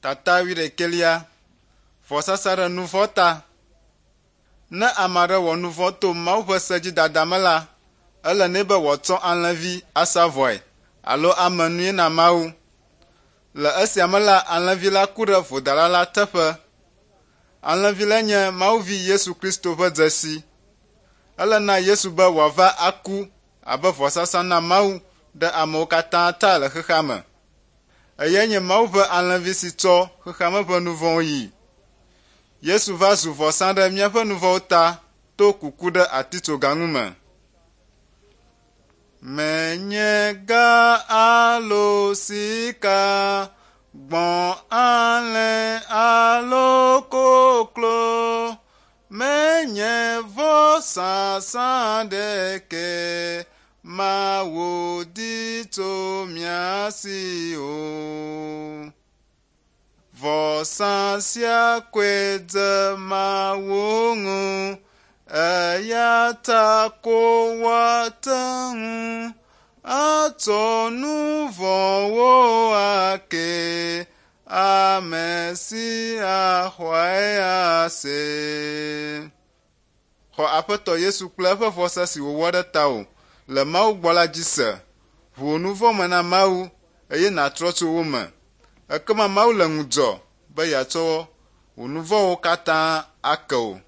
Tata wuiɖekɛlia, vɔsasa ɖe nu vɔ̃ ta. Ne ame aɖe wɔ nu vɔ̃ to Mawu ƒe se dzi dada me la, ele nɛ be wòatsɔ alẽvi asa vɔe alo ame nui na Mawu. Le esia me la, alẽvi la ku ɖe vodala la teƒe. Alẽvi lae nye Mawu vi Yesu Kristo ƒe dzesi. Ele na Yesu be wòava aku abe vɔsasa na Mawu ɖe amewo katã ta le xexea me. Eyae nye Mawu ƒe alẽvi si tsɔ xexeame ƒe nu vɔ̃wo yi. Yesu va zu vɔsa ɖe míaƒe nu vɔ̃wo ta to kuku ɖe atitsoga ŋu me. Menye ga alo sika, gbɔ̃ alẽ alo koklo, menye vɔsasa ɖeke Mawu di tso mía si o. Vɔsa sia koe dze Mawu ŋu, eya ta ko woate ŋu atsɔ nu vɔ̃wo ake ame si axɔe ase. Xɔ Aƒetɔ Yesu kple eƒe vɔsa si wòwɔ ɖe tawò le Mawu gbɔ la dzi se. Ʋu wò nu vɔ̃ me na Mawu eye nàtrɔ tso wo me. Ekema Mawu le ŋudzɔ be yeatsɔ wò nu vɔ̃wo katã ake wò.